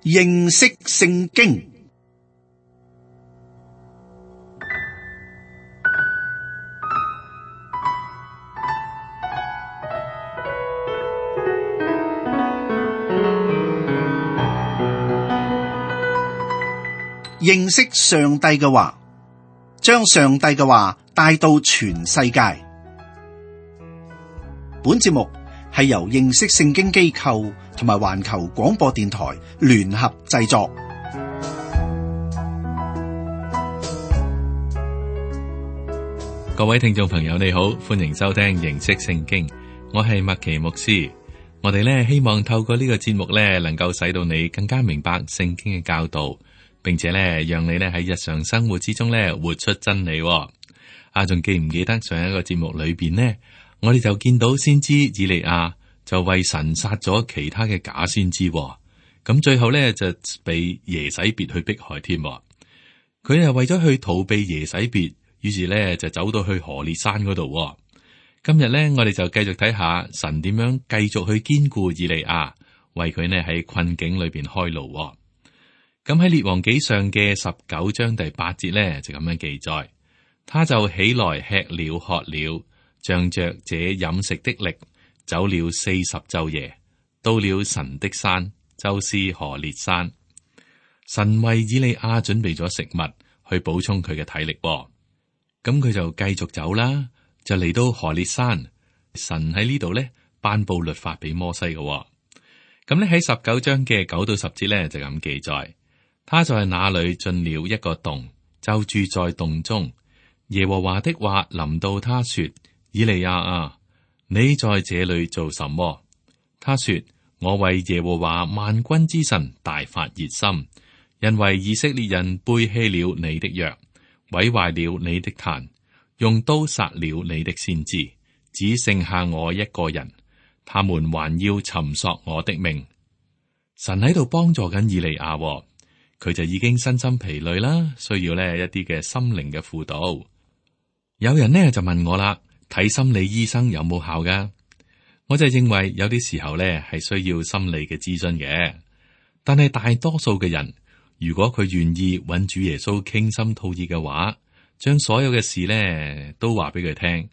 認識聖經。認識上帝嘅話，將上帝嘅話帶到全世界。本節目係由認識聖經機構同埋環球廣播電台聯合製作。各位聽眾朋友，你好，歡迎收聽認識聖經。我係麥奇牧師。我哋呢希望透過呢個節目呢，能夠使到你更加明白聖經嘅教導，並且呢讓你呢喺日常生活之中呢活出真理。仲記唔記得上一個節目裏邊呢，我哋就見到先知以利亞就為神殺咗其他嘅假先知，咁最後呢，就被耶洗別去迫害添。佢係為咗去逃避耶洗別，於是呢就走到去何烈山嗰度。今日呢，我哋就繼續睇下神點樣繼續去堅固以利亞，為佢呢喺困境裏邊開路。咁喺列王紀上嘅19章第8節呢，就咁樣記載，他就起來吃了喝了，仗着這飲食的力，走了40晝夜，到了神的山，就是何烈山。神為以利亞準備咗食物去補充佢嘅體力。咁佢就繼續走啦，就嚟到何烈山。神喺呢度呢頒布律法俾摩西嘅。咁呢喺19章嘅9到10節呢，就咁記載。他在那裏進了一個洞，就住在洞中。耶和華的話臨到他說：以利亞啊，你在這裏做什麼？他說：我為耶和華萬軍之神大發熱心，因為以色列人背棄了你的約，毀壞了你的壇，用刀殺了你的先知，只剩下我一個人，他們還要尋索我的命。神喺度幫助緊以利亞。佢就已經身心疲累啦，需要呢一啲嘅心靈嘅輔導。有人呢就問我啦，睇心理醫生有冇效噶？我就認為有啲時候呢係需要心理嘅諮詢嘅，但係大多數嘅人，如果佢願意揾主耶穌傾心吐意嘅話，將所有嘅事呢都話俾佢聽，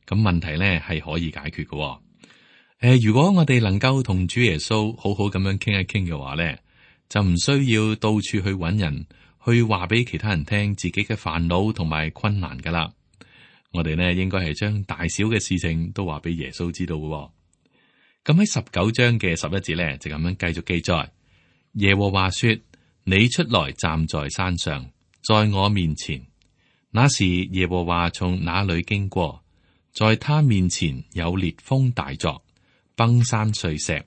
咁問題呢係可以解決嘅。如果我哋能夠同主耶穌好好咁樣傾一傾嘅話呢，就唔需要到處去揾人去話俾其他人聽自己嘅煩惱同埋困難噶啦。我哋呢應該係將大小嘅事情都話俾耶穌知道嘅。咁喺19章嘅11節呢，就咁樣繼續記載。耶和華說：你出來站在山上，在我面前。那時耶和華從那裏經過，在他面前有烈風大作，崩山碎石。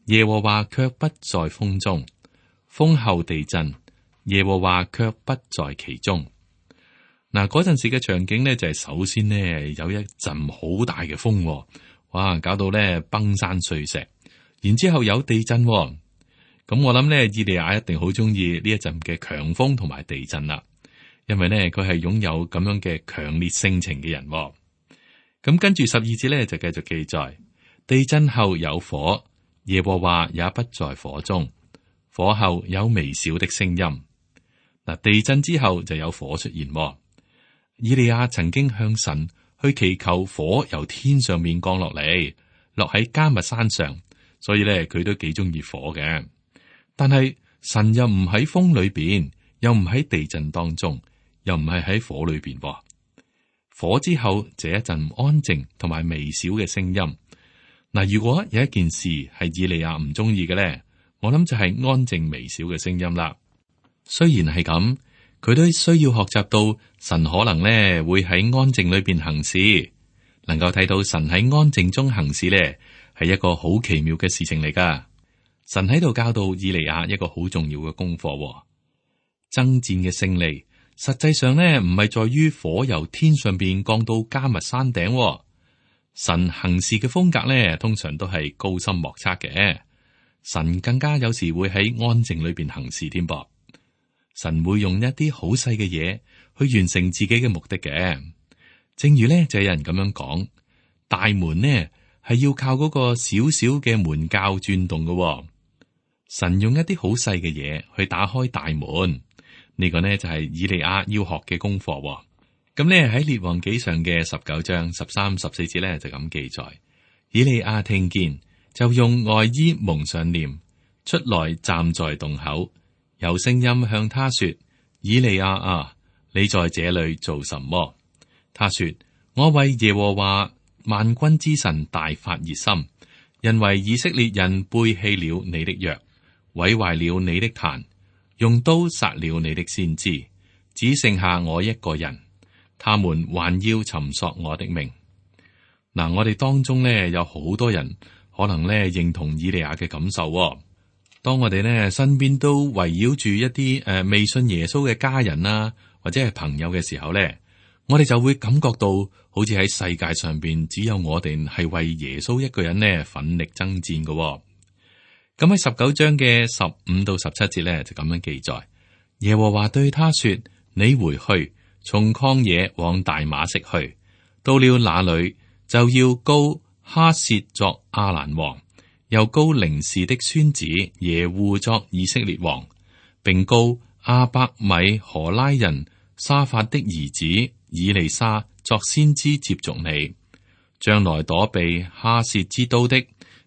耶和華卻不在風中。風後地震，耶和華卻不在其中。嗱，嗰陣時嘅場景呢，就係首先呢有一陣好大嘅風，哇，搞到呢崩山碎石，然之後有地震。咁我諗呢，以利亞一定好中意呢一陣嘅強風同埋地震啦，因為呢佢係擁有咁樣嘅強烈性情嘅人。咁跟住12節呢，就繼續記載，地震後有火，耶和華也不在火中。火後有微小的聲音。嗱，地震之後就有火出現。以利亞曾經向神去祈求火由天上面降落嚟，落喺迦密山上，所以咧佢都幾中意火嘅。但係神又唔喺風裏邊，又唔喺地震當中，又唔係喺火裏邊。火之後這一陣安靜同埋微小嘅聲音。嗱，如果有一件事係以利亞唔中意嘅咧，我諗就係安靜微小嘅聲音啦。雖然係咁，佢都需要學習到神可能呢會喺安靜裏邊行事，能夠睇到神喺安靜中行事呢係一個好奇妙嘅事情嚟噶。神喺度教導以利亞一個好重要嘅功課。爭戰嘅勝利，實際上呢唔係在於火由天上邊降到迦密山頂。神行事嘅風格呢，通常都係高深莫測嘅。神更加有時會喺安靜裏邊行事添噃。神會用一啲好細嘅嘢去完成自己嘅目的嘅。正如呢，就有人咁樣講，大門呢係要靠嗰個小小嘅門鉸轉動嘅。神用一啲好細嘅嘢去打開大門，呢個呢就係以利亞要學嘅功課。咁呢喺列王紀上嘅19章13、14節呢就咁記載：以利亞聽見，就用外衣蒙上臉，出來站在洞口，有聲音向他說：以利亞啊，你在這裏做什麼？他說：我為耶和華萬軍之神大發熱心，因為以色列人背棄了你的約，毀壞了你的壇，用刀殺了你的先知，只剩下我一個人，他們還要尋索我的命。嗱，我哋當中呢有好多人可能呢認同以利亞嘅感受。當我哋呢身邊都圍繞住一啲未信耶穌嘅家人啦，或者係朋友嘅時候呢，我哋就會感覺到好似喺世界上邊只有我哋係為耶穌一個人呢奮力爭戰嘅。咁喺19章嘅15到17節呢，就咁樣記載：耶和華對他說：你回去，從曠野往大馬色去，到了那裏就要膏哈薛作亞蘭王，又膏寧示的孫子耶戶作以色列王，並膏亞伯米荷拉人沙法的兒子以利沙作先知接續你。將來躲避哈薛之刀的，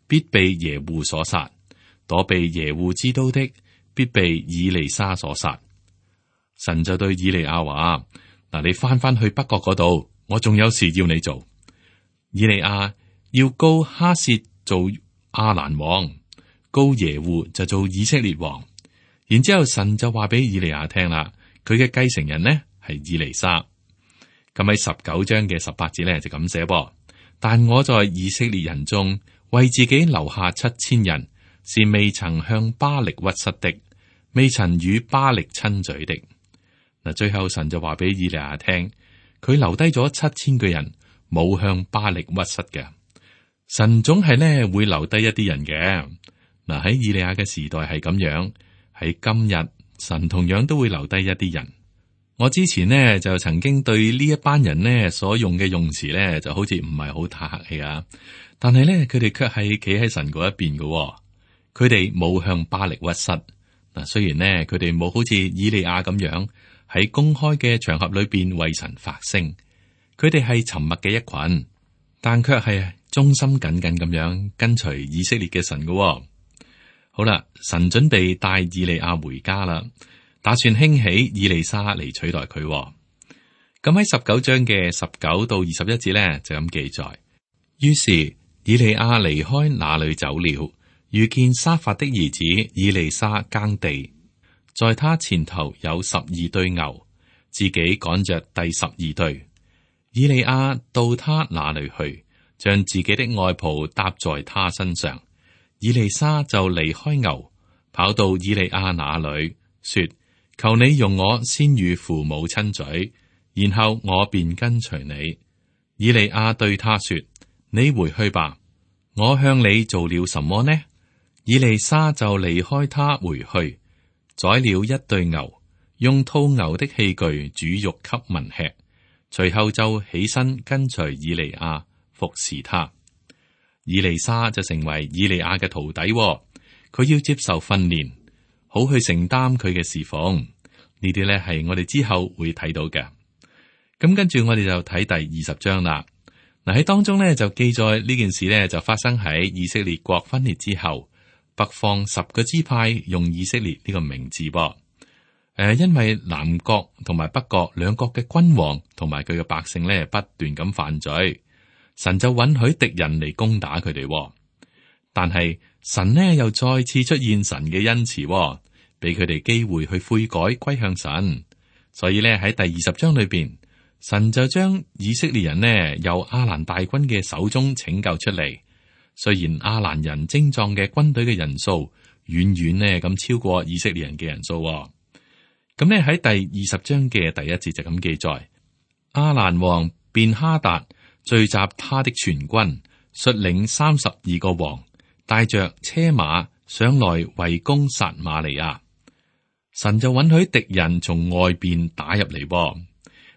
必被耶戶所殺；躲避耶戶之刀的，必被以利沙所殺。神就對以利亞話：嗱，你翻去北國嗰度，我仲有事要你做。以利亞要膏哈薛做亞蘭王，膏耶戶就做以色列王。然之後神就話俾以利亞聽啦，佢嘅繼承人呢係以利沙。咁喺19章嘅18節呢就咁寫噃：但我在以色列人中為自己留下7000人，是未曾向巴力屈膝的，未曾與巴力親嘴的。嗱，最後神就話俾以利亞聽，佢留低咗7000個人，冇向巴力屈膝嘅。神總係呢會留低一啲人嘅。嗱，喺以利亞嘅時代係咁樣，喺今日神同樣都會留低一啲人。我之前呢就曾經對呢一班人呢所用嘅用詞呢就好似唔係好太客氣啊，但係呢佢哋卻係企喺神嗰一邊嘅。佢哋冇向巴力屈膝。嗱，雖然呢佢哋冇好似以利亞咁樣喺公開嘅場合裏邊為神發聲，佢哋係沉默嘅一群，但卻係忠心耿耿咁樣跟隨以色列嘅神嘅。好啦，神準備帶以利亞回家啦，打算興起以利沙嚟取代佢。咁喺19章嘅19到21節呢，就咁記載：於是以利亞離開那裏走了，遇見沙法的兒子以利沙耕地，在他前頭有12對牛，自己趕着第12對。以利亞到他那裏去，將自己的外袍搭在他身上。以利沙就離開牛，跑到以利亞那裏，說：求你容我先與父母親嘴，然後我便跟隨你。以利亞對他說：你回去吧，我向你做了什麼呢？以利沙就離開他回去，宰了1對牛，用套牛的器具煮肉給民吃，隨後就起身跟隨以利亞服侍他。以利沙就成為以利亞嘅徒弟，佢要接受訓練，好去承擔佢嘅侍奉。呢啲咧係我哋之後會睇到嘅。咁跟住我哋就睇第20章啦。嗱，喺當中咧就記載呢件事咧就發生喺以色列國分裂之後，北方10個支派用以色列呢個名字噃。因為南國同埋北國兩國嘅君王同埋佢嘅百姓咧不斷咁犯罪。神就允許敵人嚟攻打佢哋，但係神呢又再次出現神嘅恩慈，俾佢哋機會去悔改歸向神。所以呢，喺第20章裏邊，神就將以色列人呢由亞蘭大軍嘅手中拯救出嚟。雖然亞蘭人精壯嘅軍隊嘅人數遠遠呢咁超過以色列人嘅人數，咁呢喺第20章嘅第1節就咁記載：亞蘭王便哈達聚集他的全軍，率領32個王，帶着車馬上來圍攻撒瑪利亞。神就允許敵人從外邊打入嚟。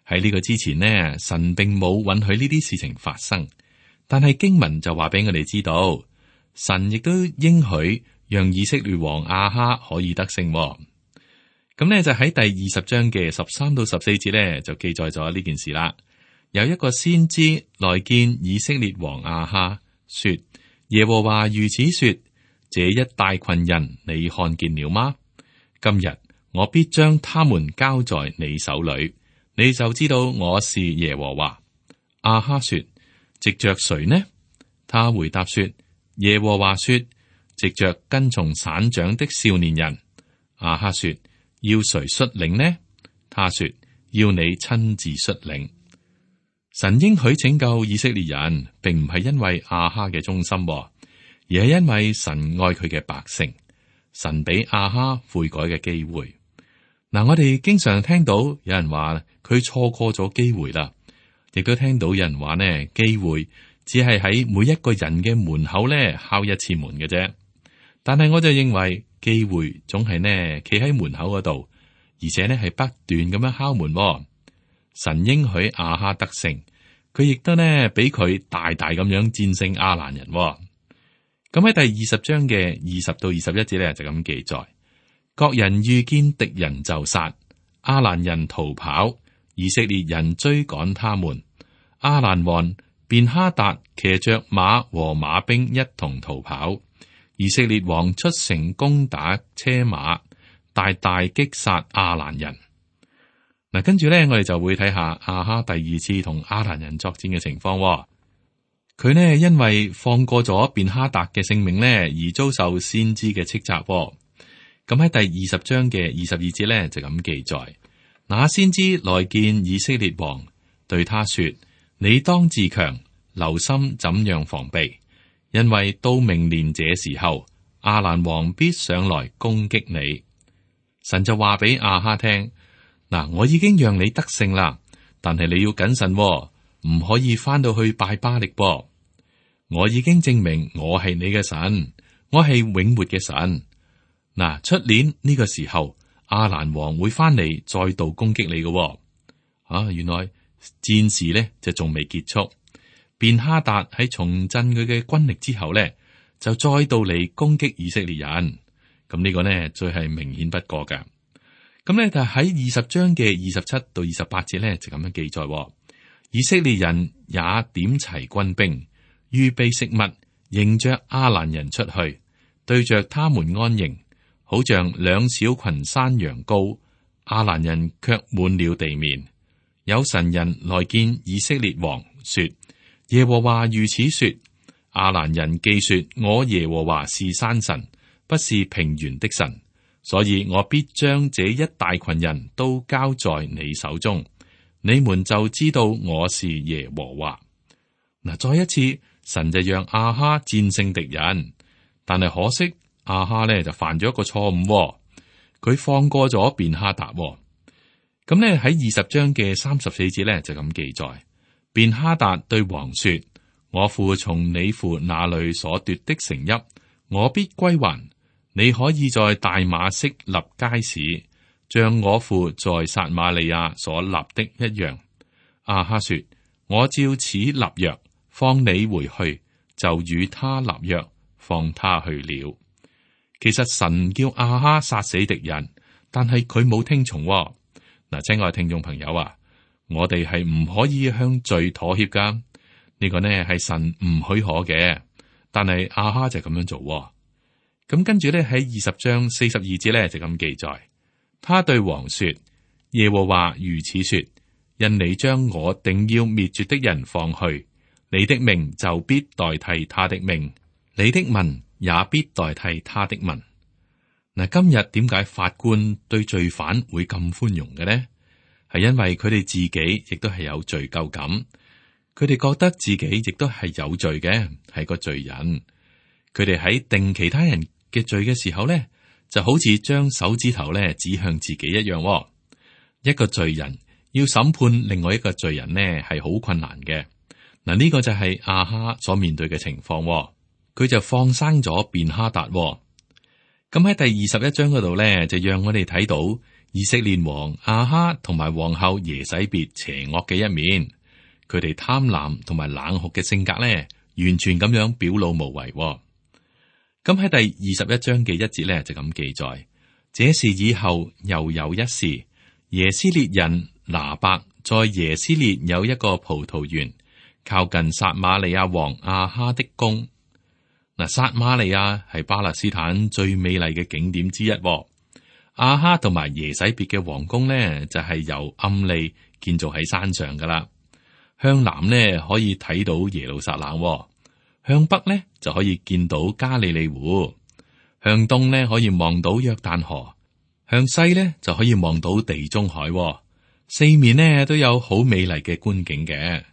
喺呢個之前呢，神並冇允許呢啲事情發生。但係經文就話俾我哋知道，神亦都應許讓以色列王亞哈可以得勝。咁呢，就喺第20章嘅13到14節呢，就記載咗呢件事啦。有一個先知來見以色列王亞哈，說：耶和華如此說，這一大群人你看見了嗎？今日我必將他們交在你手裏，你就知道我是耶和華。亞哈說：藉着誰呢？他回答說：耶和華說，藉着跟從省長的少年人。亞哈說：要誰率領呢？他說：要你親自率領。神應許拯救以色列人，並唔係因為亞哈嘅忠心，而係因為神愛佢嘅百姓。神俾亞哈悔改嘅機會。嗱，我哋經常聽到有人話佢錯過咗機會啦，亦都聽到有人話呢，機會只係喺每一個人嘅門口咧敲一次門嘅啫。但係我就認為機會總係呢企喺門口嗰度，而且呢係不斷咁樣敲門。神應許亞哈得勝，佢亦都呢俾佢大大咁樣戰勝亞蘭人。咁喺第20章嘅20到21節咧就咁記載：各人遇見敵人就殺，亞蘭人逃跑，以色列人追趕他們。亞蘭王便哈達騎着馬和馬兵一同逃跑，以色列王出城攻打車馬，大大擊殺亞蘭人。嗱，跟住咧，我哋就會睇下亞哈第二次同亞蘭人作戰嘅情況。佢呢因為放過咗便哈達嘅性命呢，而遭受先知嘅斥責。咁喺第20章嘅22節咧就咁記載：那先知來見以色列王，對他說：你當自強，留心怎樣防備，因為到明年這時候，亞蘭王必上來攻擊你。神就話俾亞哈聽：嗱，我已經讓你得勝啦，但係你要謹慎，唔可以翻到去拜巴力噃。我已經證明我係你嘅神，我係永活嘅神。嗱，出年呢個時候，亞蘭王會翻嚟再度攻擊你嘅。原來戰事呢就仲未結束。便哈達喺重振佢嘅軍力之後呢，就再度嚟攻擊以色列人。咁呢個呢，最係明顯不過嘅。咁呢，就喺20章嘅27到28節呢，就咁樣記載：以色列人也點齊軍兵，預備食物，迎着亞蘭人出去，對着他們安營，好像兩小群山羊羔。亞蘭人卻滿了地面。有神人來見以色列王，說：耶和華如此說，亞蘭人既說我耶和華是山神，不是平原的神，所以我必將這一大群人都交在你手中，你們就知道我是耶和華。嗱，再一次，神就讓亞哈戰勝敵人，但係可惜亞哈呢就犯咗一個錯誤，佢放過咗便哈達。咁呢喺20章嘅34節呢就咁記載：便哈達對王說：我父從你父那裏所奪的城邑，我必歸還。你可以在大馬色立街市，像我父在撒瑪利亞所立的一樣。亞哈說：我照此立約，放你回去，就與他立約，放他去了。其實神叫亞哈殺死敵人，但係佢冇聽從。嗱，親愛聽眾朋友啊，我哋係唔可以向罪妥協噶。呢個呢係神唔許可嘅，但係亞哈就咁樣做。咁跟住咧喺20章42節咧就咁記載，他對王說：耶和華如此說，因你將我定要滅絕的人放去，你的命就必代替他的命，你的民也必代替他的民。嗱，今日點解法官對罪犯會咁寬容嘅呢？係因為佢哋自己亦都係有罪疚感，佢哋覺得自己亦都係有罪嘅，係個罪人。佢哋喺定其他人嘅罪嘅時候咧，就好似將手指頭咧指向自己一樣。一個罪人要審判另外一個罪人呢，係好困難嘅。嗱，呢個就係亞哈所面對嘅情況。佢就放生咗便哈達。咁喺第21章嗰度咧，就讓我哋睇到以色列王亞哈同埋皇后耶洗別邪惡嘅一面。佢哋貪婪同埋冷酷嘅性格咧，完全咁樣表露無遺。咁喺第21章嘅1節咧就咁記載，這事以後又有一事，耶斯列人拿伯在耶斯列有一個葡萄園，靠近撒瑪利亞王亞哈的宮。嗱，撒瑪利亞係巴勒斯坦最美麗嘅景點之一。亞哈同埋耶洗別嘅皇宮呢，就係由暗利建造喺山上噶啦。向南呢可以睇到耶路撒冷，向北呢就可以見到加利利湖，向東呢可以望到約旦河，向西呢就可以望到地中海，四面呢都有好美麗嘅觀景嘅。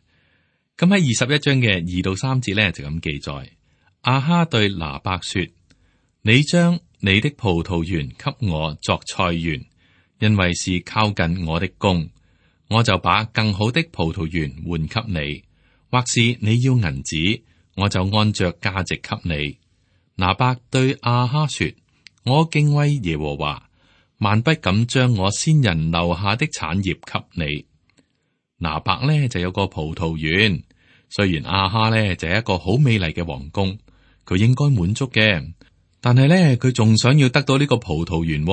咁喺21章嘅2到3節呢就咁記載，亞哈對拿伯說：你將你的葡萄園給我作菜園，因為是靠近我的宮，我就把更好的葡萄園換給你，或是你要銀子，我就按着價值給你。拿伯對亞哈說：我敬畏耶和華，萬不敢將我先人留下的產業給你。拿伯呢就有個葡萄園，雖然亞哈呢就係一個好美麗嘅皇宮，佢應該滿足嘅，但係呢佢仲想要得到呢個葡萄園。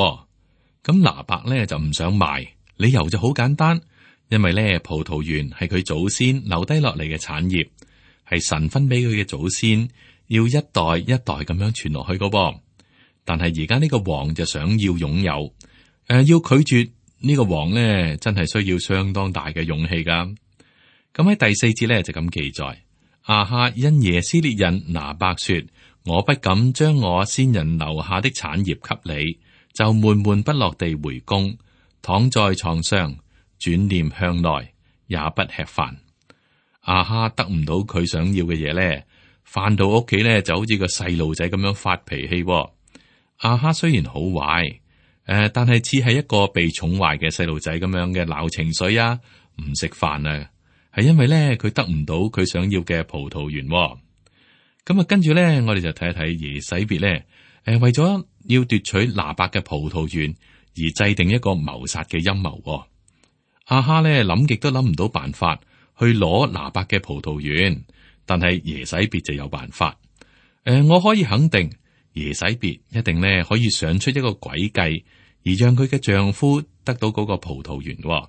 咁拿伯呢就唔想賣，理由就好簡單，因為呢葡萄園係佢祖先留低落嚟嘅產業，係神分俾佢嘅祖先，要一代一代咁樣傳落去噶噃。但係而家呢個王就想要擁有，要拒絕呢個王呢，真係需要相當大嘅勇氣噶。咁喺第4節呢，就咁記載，亞哈因耶斯列人拿伯說：我不敢將我先人留下的產業給你，就悶悶不樂地回宮，躺在床上，轉念向內，也不吃飯。亞哈得唔到佢想要嘅嘢呢，返到屋企呢，就好似個細路仔咁樣發脾氣。亞哈雖然好壞，但係似係一個被寵壞嘅細路仔咁樣嘅鬧情緒啊，唔食飯啊，係因為咧佢得唔到佢想要嘅葡萄園。咁啊，跟住咧，我哋就睇一睇耶洗別咧，為咗要奪取拿伯嘅葡萄園而制定一個謀殺嘅陰謀。亞哈咧諗極都諗唔到辦法去攞拿伯嘅葡萄園，但係耶洗別就有辦法。我可以肯定。耶洗別一定咧可以想出一個詭計，而讓佢嘅丈夫得到嗰個葡萄園。咁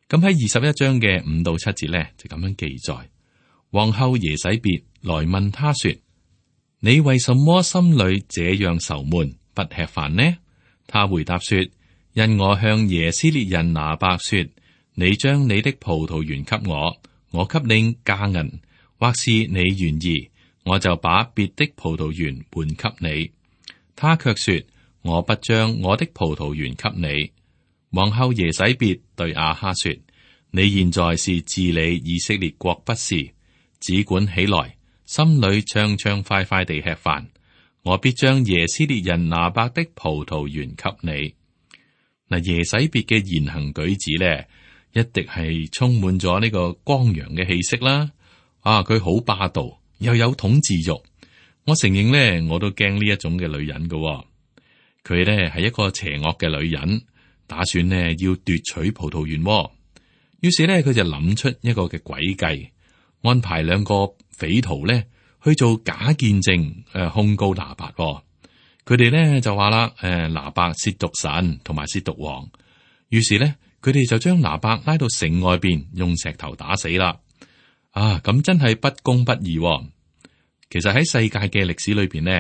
喺21章嘅5到7節咧就咁樣記載。皇后耶洗別來問他說：你為什麼心裏這樣愁悶，不吃飯呢？他回答說：因我向耶斯列人拿伯說，你將你的葡萄園給我，我給你價銀，或是你願意，我就把別的葡萄園換給你。他卻說：我不將我的葡萄園給你。皇后耶洗別對亞哈說：你現在是治理以色列國不是，只管起來，心裏暢暢快快地吃飯。我必將耶斯列人拿伯的葡萄園給你。嗱，耶洗別嘅言行舉止咧，一定係充滿咗呢個光陽嘅氣息啦。佢好霸道。又有統治欲，我承認呢，我都驚呢一種嘅女人噶。佢呢係一個邪惡嘅女人，打算呢要奪取葡萄園。於是呢，佢就諗出一個嘅詭計，安排2個匪徒呢去做假見證，控告拿伯。佢哋呢就話啦，拿伯褻瀆神同埋褻瀆王。於是呢，佢哋就將拿伯拉到城外邊，用石頭打死啦。咁真係不公不義。其實喺世界嘅歷史裏邊呢，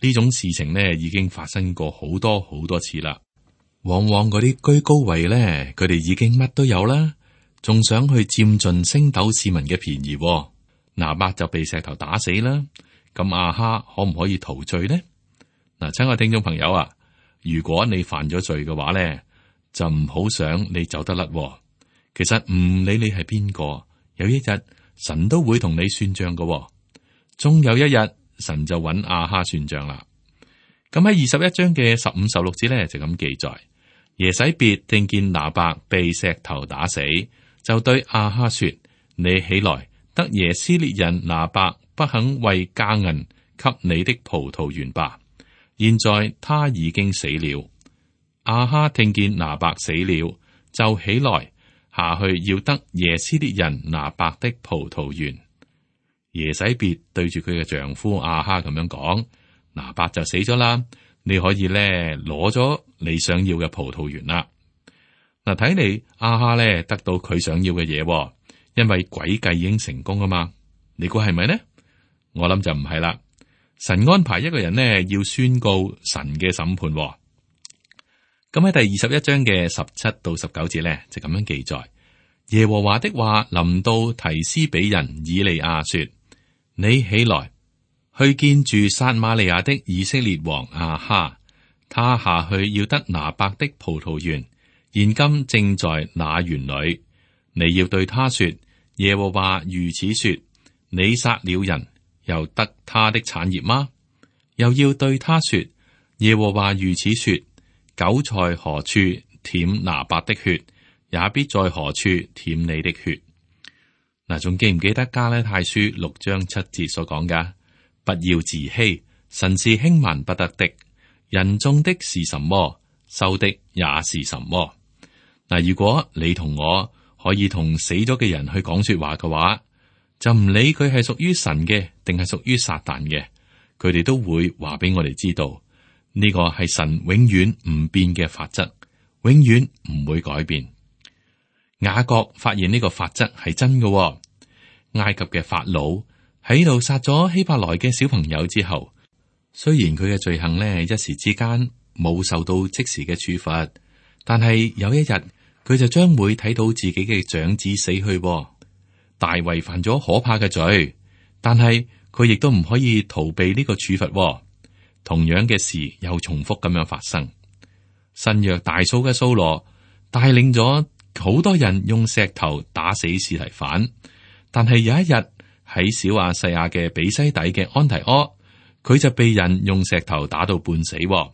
呢種事情呢已經發生過好多好多次啦。往往嗰啲居高位呢，佢哋已經乜都有啦，仲想去佔盡星斗市民嘅便宜。拿伯就被石頭打死啦。咁亞哈可唔可以逃罪呢？嗱，親愛聽眾朋友啊，如果你犯咗罪嘅話呢，就唔好想你走得甩。其實唔理你係邊個，有一日神都會同你算賬嘅。終有一日，神就揾亞哈算賬啦。咁喺21章嘅15、16節咧，就咁記載：耶洗別聽見拿伯被石頭打死，就對亞哈說：你起來，得耶斯列人拿伯不肯為價銀給你的葡萄園吧。現在他已經死了。亞哈聽見拿伯死了，就起來下去要得耶斯列人拿伯的葡萄園。耶洗別對住佢嘅丈夫亞哈咁樣講：拿伯就死咗啦，你可以咧攞咗你想要嘅葡萄園啦。嗱，睇嚟亞哈咧得到佢想要嘅嘢，因為詭計已經成功啊嘛。你估係咪呢？我諗就唔係啦。神安排一個人呢，要宣告神嘅審判。咁喺第21章嘅17到19節咧，就咁樣記載：耶和華的話臨到提斯比人以利亞說：你起來，去見住撒瑪利亞的以色列王亞哈，他下去要得拿伯的葡萄園，現今正在那園裏。你要對他說：耶和華如此說，你殺了人，又得他的產業嗎？又要對他說：耶和華如此說，狗在何處舔拿伯的血，也必在何處舔你的血。嗱，仲記唔記得加拉太書6章7節所講噶？不要自欺，神是輕慢不得的。人種的是什麼，收的也是什麼。嗱，如果你同我可以同死咗嘅人去講說話嘅話，就唔理佢係屬於神嘅定係屬於撒旦嘅，佢哋都會話俾我哋知道，呢個係神永遠唔變嘅法則，永遠唔會改變。雅各發現呢個法則係真嘅。埃及嘅法老喺度殺咗希伯來嘅小朋友之後，雖然佢嘅罪行呢一時之間冇受到即時嘅處罰，但係有一日佢就將會睇到自己嘅長子死去。大衛犯咗可怕嘅罪，但係佢亦都唔可以逃避呢個處罰。同樣嘅事又重複咁樣發生。新約大數嘅掃羅帶領咗好多人用石頭打死司提反，但係有一日喺小亞細亞嘅比西底嘅安提阿，佢就被人用石頭打到半死。嗱，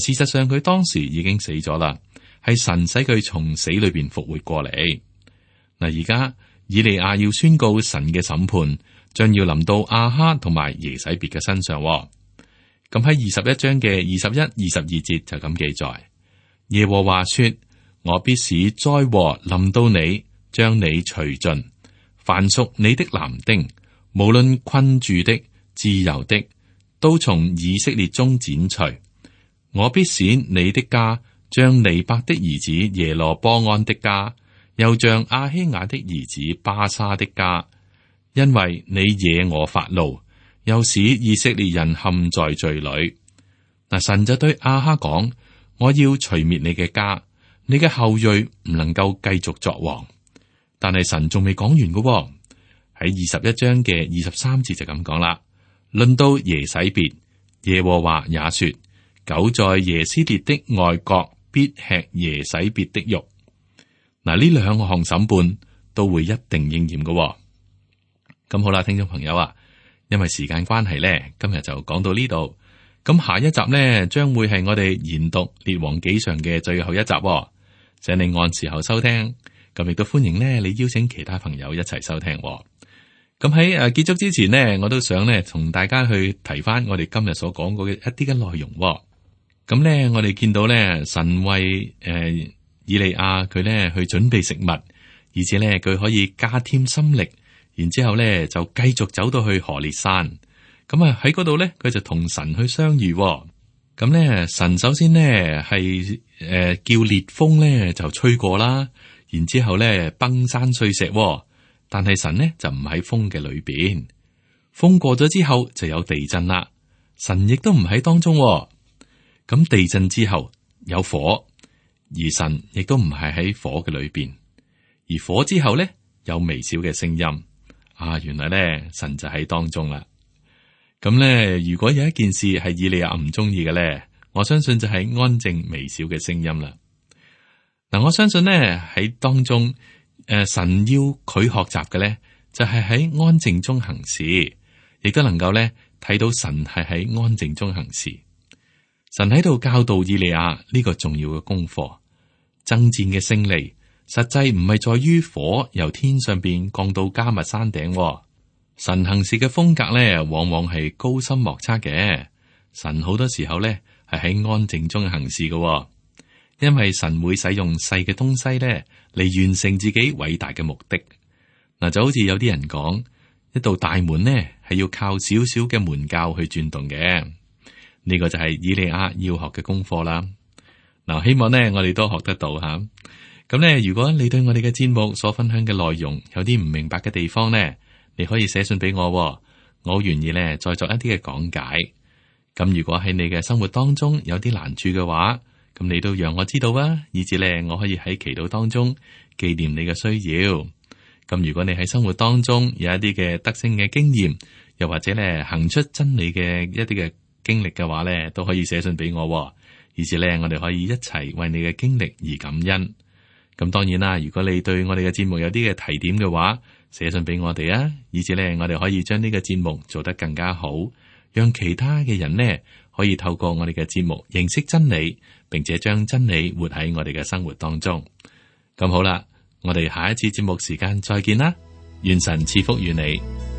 事實上佢當時已經死咗啦，係神使佢從死裏邊復活過嚟。嗱，而家以利亞要宣告神嘅審判，將要臨到亞哈同埋耶洗別嘅身上。咁喺21章嘅21、22節就咁記載：耶和華說，我必使災禍臨到你，將你除盡，凡屬你的男丁，無論困住的、自由的，都從以色列中剪除。我必使你的家像尼伯的兒子耶羅波安的家，又像亞希雅的兒子巴沙的家，因為你惹我發怒，又使以色列人陷在罪裏。嗱，神就對亞哈講：我要除滅你嘅家，你嘅後裔唔能夠繼續作王。但係神仲未講完嘅，喺21章嘅23節就咁講啦。論到耶洗別，耶和華也說：狗在耶斯列的外郭必吃耶洗別的肉。嗱，呢兩項審判都會一定應驗嘅。咁好啦，聽眾朋友啊，因為時間關係咧，今日就講到呢度。咁下一集呢，將會係我哋研讀列王紀上嘅最後一集。請你按時候收聽，咁亦都歡迎呢你邀請其他朋友一齊收聽。咁喺結束之前呢，我都想呢同大家去提翻我哋今日所講過嘅一啲嘅內容。咁呢，我哋見到呢，神為以利亞佢呢去準備食物，而且呢佢可以加添心力，然之後呢就繼續走到去何烈山。咁啊喺嗰度呢，佢就同神去相遇。咁呢，神首先呢係叫烈風呢就吹過啦，然之後呢崩山碎石。但係神呢就唔喺風嘅裏邊，風過咗之後就有地震啦。神亦都唔喺當中。咁地震之後有火，而神亦都唔係喺火嘅裏邊。而火之後呢，有微小嘅聲音。原來呢，神就喺當中啦。咁呢，如果有一件事係以利亞唔中意嘅呢，我相信就係安靜微小嘅聲音啦。嗱，我相信呢，喺當中，神要佢學習嘅呢，就係喺安靜中行事，亦都能夠呢睇到神係喺安靜中行事。神喺度教導以利亞呢個重要嘅功課。爭戰嘅勝利，實際唔係在於火由天上邊降到迦密山頂。神行事嘅風格咧，往往係高深莫測嘅。神好多時候咧係喺安靜中行事嘅，因為神會使用細嘅東西咧嚟完成自己偉大嘅目的。嗱，就好似有啲人講，一道大門呢係要靠少少嘅門鉸去轉動嘅。呢個就係以利亞要學嘅功課啦。嗱，希望呢我哋都學得到吓。咁呢，如果你對我哋嘅節目所分享嘅內容有啲唔明白嘅地方呢，你可以寫信俾我，我好願意呢再作一啲嘅講解。咁如果喺你嘅生活當中有啲難處嘅話，咁你都讓我知道啊，以至呢我可以喺祈禱當中紀念你嘅需要。咁如果你喺生活當中有一啲嘅得勝嘅經驗，又或者呢行出真理嘅一啲嘅經歷嘅話呢，都可以寫信俾我，以至呢我哋可以一齊為你嘅經歷而感恩。咁當然啦，如果你對我哋嘅節目有啲嘅提點嘅話，寫信俾我哋啊，以至呢我哋可以將呢個節目做得更加好，讓其他嘅人呢可以透過我哋嘅節目認識真理，並且將真理活喺我哋嘅生活當中。咁好啦，我哋下一次節目時間再見啦，願神賜福於你。